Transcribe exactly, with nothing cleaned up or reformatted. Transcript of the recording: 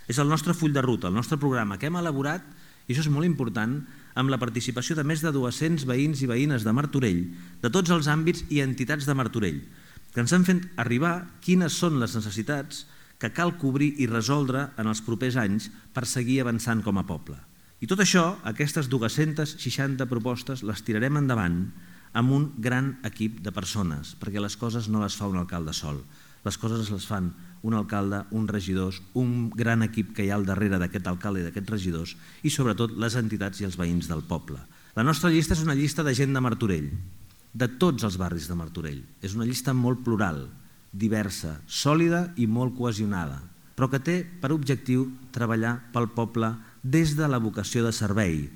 És el nostre full de ruta, el nostre programa que hem elaborat, i això és molt important, amb la participació de més de dos-cents veïns i veïnes de Martorell, de tots els àmbits i entitats de Martorell, que ens han fet arribar quines són les necessitats que cal cobrir i resoldre en els propers anys per seguir avançant com a poble. I tot això, aquestes dues-centes seixanta propostes, les tirarem endavant amb un gran equip de persones, perquè les coses no les fa un alcalde sol. Les coses les fan un alcalde, uns regidors, un gran equip que hi ha al darrere d'aquest alcalde i d'aquests regidors i sobretot les entitats i els veïns del poble. La nostra llista és una llista de gent de Martorell, de tots els barris de Martorell. És una llista molt plural, diversa, sòlida i molt cohesionada, però que té per objectiu treballar pel poble des de la vocació de servei,